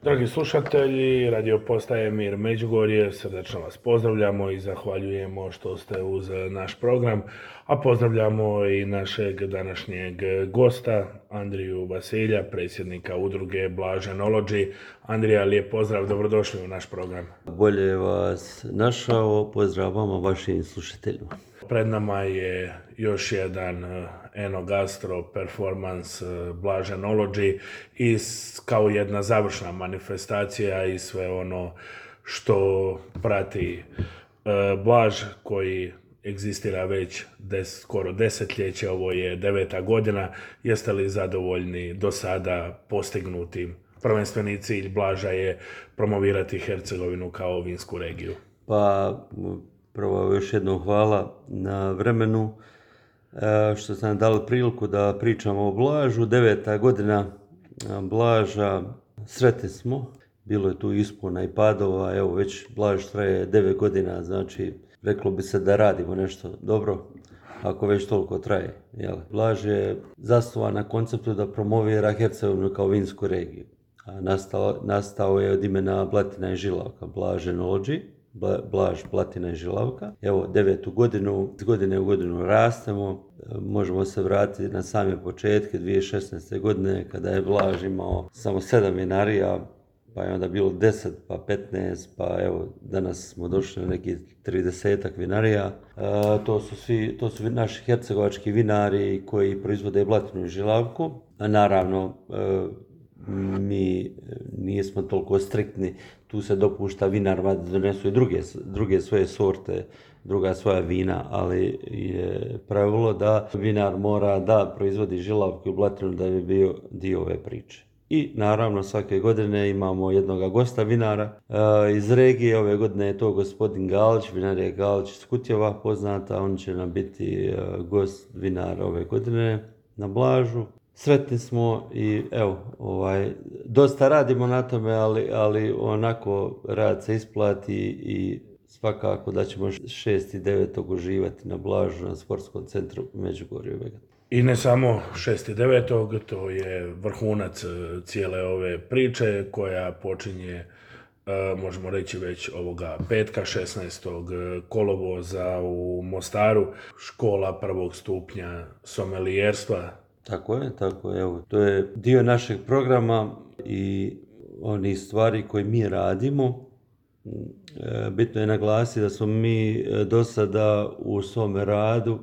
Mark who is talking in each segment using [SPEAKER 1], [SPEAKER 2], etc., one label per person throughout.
[SPEAKER 1] Dragi slušatelji, radio postaje Mir Međugorje, srdačno vas pozdravljamo i zahvaljujemo što ste uz naš program, a pozdravljamo i našeg današnjeg gosta, Andriju Vasilja, predsjednika udruge Blaženology. Andrija, lijep pozdrav, dobrodošli u naš program.
[SPEAKER 2] Bolje vas našao, pozdrav vama, vašim slušateljima.
[SPEAKER 1] Pred nama je još jedan Enogastro performans Blaženology i kao jedna završna manifestacija i sve ono što prati Blaž koji egzistira već skoro desetljeće, ovo je 9. godina. Jeste li zadovoljni do sada postignutim? Prvenstveni cilj Blaža je promovirati Hercegovinu kao vinsku regiju.
[SPEAKER 2] Pa prvo još jednom hvala na vremenu što ste nam dali priliku da pričamo o Blažu. 9. godina Blaža, sretni smo, bilo je tu ispona i padova, evo već Blaž traje 9 godina, znači reklo bi se da radimo nešto dobro ako već toliko traje. Jel? Blaž je zasnovan na konceptu da promovira Hercegovinu kao vinsku regiju. Nastao je od imena Blatina i Žilavka, Blaženology, Blaž, Blatina i Žilavka. Evo, 9. godinu, iz godine u godinu rastemo, možemo se vratiti na same početke 2016. godine kada je Blaž imao samo 7 vinarija, pa je onda bilo 10, pa 15, pa evo danas smo došli na nekih 30 vinarija. To su naši hercegovački vinari koji proizvode Blatinu i Žilavku. A naravno, mi nismo toliko striktni, tu se dopušta vinarima da donesu i druge svoje sorte, druga svoja vina, ali je pravilo da vinar mora da proizvodi Žilavku i Blatinu da bi bio dio ove priče. I naravno svake godine imamo jednog gosta vinara iz regije. Ove godine je to gospodin Galić, vinarija Galić iz Kutjeva poznata. On će nam biti gost vinara ove godine na Blažu. Sretni smo i evo, dosta radimo na tome, ali onako rad se isplati i svakako da ćemo 6.9. uživati na Blažu na sportskom centru Međugorje.
[SPEAKER 1] I ne samo 6.9. to je vrhunac cijele ove priče koja počinje, možemo reći već ovoga petka, 16. kolovoza u Mostaru, škola prvog stupnja somelijerstva.
[SPEAKER 2] Tako je, evo, to je dio našeg programa i onih stvari koje mi radimo. Bitno je naglasiti da smo mi do sada u svome radu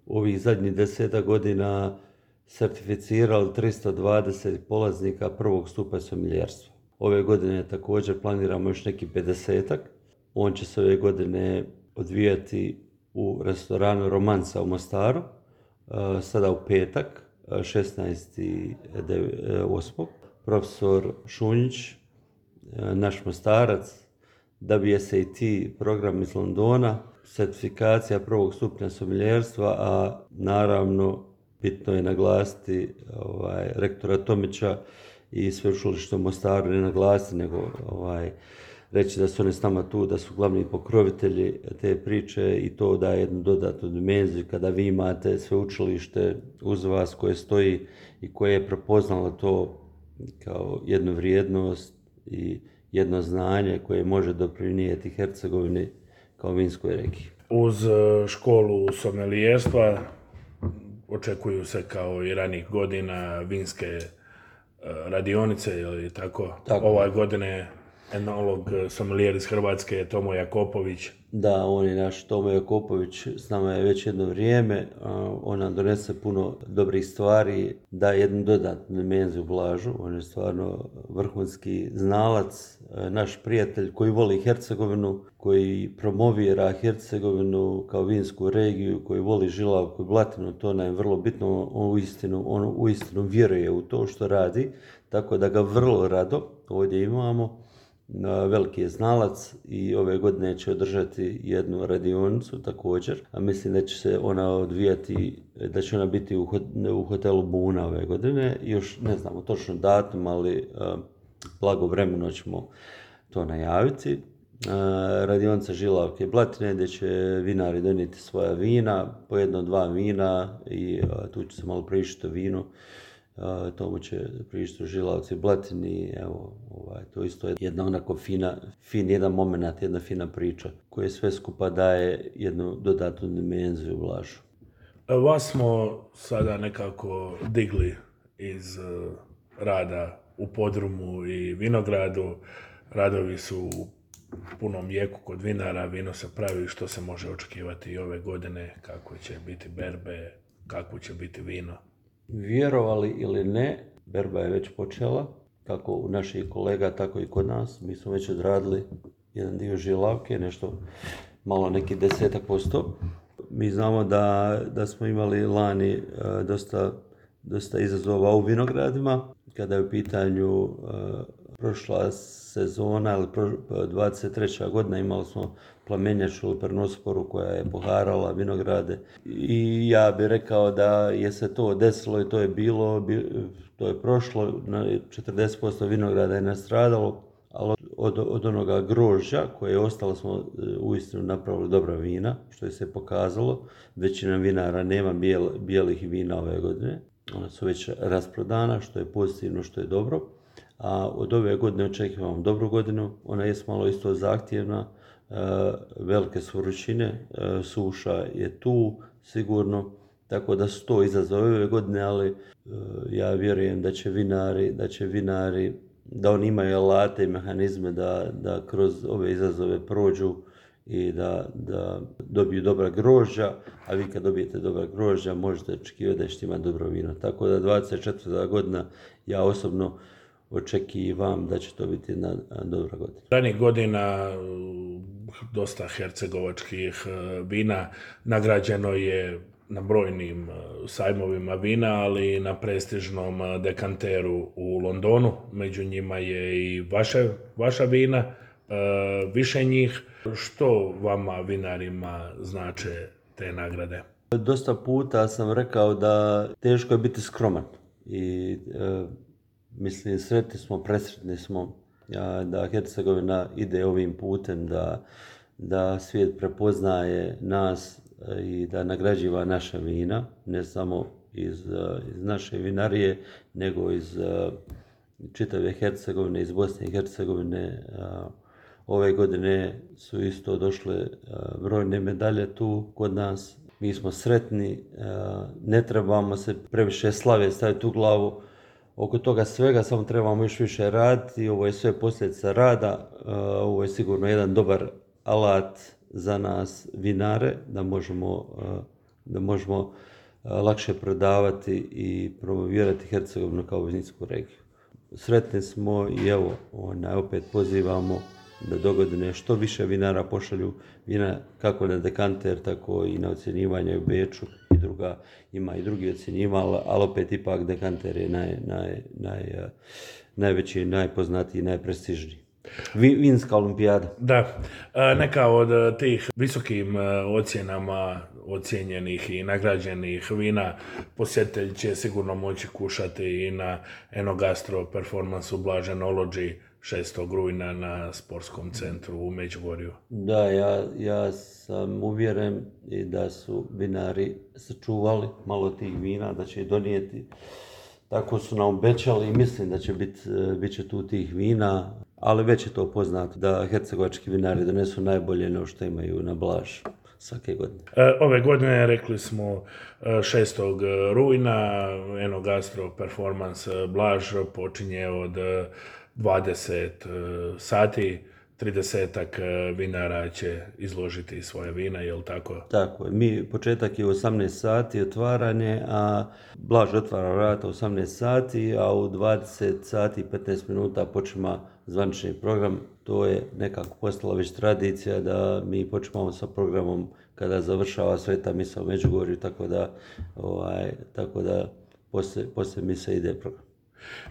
[SPEAKER 2] ovih zadnjih 10 godina certificirali 320 polaznika prvog stupnja somelijerstva. Ove godine također planiramo još neki 50-ak. On će se ove godine odvijati u restoranu Romanca u Mostaru, sada u petak, 16.8. Profesor Šunjić, naš Mostarac, WSAT program iz Londona, certifikacija prvog stupnja somelijerstva, a naravno bitno je naglasiti rektora Tomića i sveučilište u Mostaru, ne naglasiti nego reći da su oni s nama tu, da su glavni pokrovitelji te priče i to daje jednu dodatnu dimenziju kada vi imate sveučilište uz vas koje stoji i koje je prepoznalo to kao jednu vrijednost i jedno znanje koje može doprinijeti Hercegovini kao vinskoj regiji.
[SPEAKER 1] Uz školu somelijerstva očekuju se kao i ranih godina vinske radionice, ili tako? Ove godine enolog sommelier iz Hrvatske je Tomo Jakopović.
[SPEAKER 2] Da, on je naš Tomo Jakopović, s nama je već jedno vrijeme, on nam donese puno dobrih stvari, daje jednu dodatnu dimenziju Blažu, on je stvarno vrhunski znalac, naš prijatelj koji voli Hercegovinu, koji promovira Hercegovinu kao vinsku regiju, koji voli Žilavku i Blatinu, to nam je vrlo bitno, on uistinu vjeruje u to što radi, tako da ga vrlo rado ovdje imamo. Veliki je znalac i ove godine će održati jednu radionicu također, a mislim da će se ona odvijati, da će ona biti u hotelu Buna ove godine. Još ne znamo točno datum, ali blagovremeno ćemo to najaviti. Radionica Žilavke i Blatine gdje će vinari donijeti svoja vina, po 1-2 vina i tu će se malo pričati o vinu tomu će pričati Žilavci Blatini, evo, to isto je jedna onako fin jedan moment, jedna fina priča koja sve skupa daje jednu dodatnu dimenziju Blažu.
[SPEAKER 1] Vas smo sada nekako digli iz rada u podrumu i vinogradu. Radovi su u punom jeku kod vinara, vino se pravi, što se može očekivati i ove godine, kako će biti berbe, kako će biti vino.
[SPEAKER 2] Vjerovali ili ne, berba je već počela, kako u naših kolega, tako i kod nas. Mi smo već odradili jedan dio žilavke, nešto malo neki 10%. Mi znamo da smo imali lani dosta izazova u vinogradima, kada je u pitanju prošla sezona ili 23. godina imali smo plamenjaču ili pernosporu koja je poharala vinograde i ja bih rekao da je se to desilo i to je bilo, to je prošlo, 40% vinograda je nastradalo, ali od onoga grožđa koje je ostalo smo uistinu napravili dobra vina, što je se pokazalo. Većina vinara nema bijelih vina ove godine, ona su već rasprodana, što je pozitivno, što je dobro. A od ove godine očekujemo dobru godinu, ona je malo isto zahtjevna, velike su vrućine, suša je tu sigurno, tako da su to izazove ove godine, ali ja vjerujem da će vinari, da oni imaju alate i mehanizme da kroz ove izazove prođu i da dobiju dobra grožđa, a vi kad dobijete dobra grožđa možete očekivati da ćete imati dobro vino. Tako da 24. godina ja osobno očekivam da će to biti jedna dobra godina.
[SPEAKER 1] Ranijih godina dosta hercegovačkih vina nagrađeno je na brojnim sajmovima vina, ali i na prestižnom dekanteru u Londonu. Među njima je i vaša vina, više njih. Što vama vinarima znače te nagrade?
[SPEAKER 2] Dosta puta sam rekao da teško je biti skroman i mislim sretni smo, presretni smo da Hercegovina ide ovim putem, da svijet prepoznaje nas i da nagrađiva naša vina, ne samo iz naše vinarije, nego iz čitave Hercegovine, iz Bosne i Hercegovine. Ove godine su isto došle brojne medalje tu kod nas. Mi smo sretni, ne trebamo se previše slave staviti u glavu oko toga svega, samo trebamo još više raditi. Ovo je sve posljedica rada, ovo je sigurno jedan dobar alat za nas vinare, da možemo lakše prodavati i promovirati Hercegovinu kao vinsku regiju. Sretni smo i evo, opet pozivamo da dogodine što više vinara pošalju vina kako na dekanter, tako i na ocjenjivanje u Beču ima i drugi ocjenjivali, ali opet ipak dekanter je najveći, najpoznatiji, najprestižniji. Vinska olimpijada.
[SPEAKER 1] Da, neka od tih visokim ocjenama ocijenjenih i nagrađenih vina posjetitelj će sigurno moći kušati i na Enogastro performansu Blaž Enology 6. rujna na sportskom centru u Međugorju.
[SPEAKER 2] Da, ja sam uvjeren i da su vinari sačuvali malo tih vina, da će ih donijeti. Tako su nam obećali i mislim da će bit će tu tih vina, ali već je to poznato da hercegovački vinari donesu najbolje no što imaju na Blaž svake godine.
[SPEAKER 1] Ove godine rekli smo 6. rujna Enogastro performance Blaž počinje od 20 sati, 30-ak vinara će izložiti svoje vina, je li tako?
[SPEAKER 2] Tako je. Početak je u 18 sati otvaranje, a Blaž otvara vrata u 18 sati, a u 20 sati i 15 minuta počima zvanični program. To je nekako postala već tradicija da mi počimamo sa programom kada završava Sveta misa u Međugorju, tako da poslije mise ide program.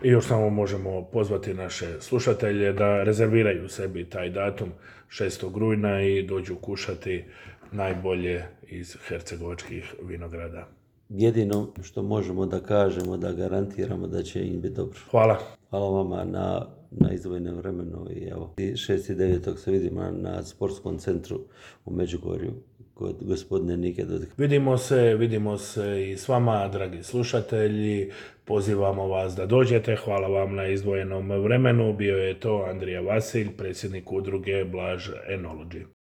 [SPEAKER 1] I još samo možemo pozvati naše slušatelje da rezerviraju sebi taj datum 6. rujna i dođu kušati najbolje iz hercegovačkih vinograda.
[SPEAKER 2] jedino što možemo da kažemo, da garantiramo da će im biti dobro.
[SPEAKER 1] Hvala.
[SPEAKER 2] Hvala vama na izdvojenom vremenu i evo, 6.9. se vidimo na sportskom centru u Međugorju kod gospodine Nike Dodik.
[SPEAKER 1] Vidimo se i s vama, dragi slušatelji. Pozivamo vas da dođete. Hvala vam na izdvojenom vremenu. Bio je to Andrija Vasilj, predsjednik udruge Blaž Enology.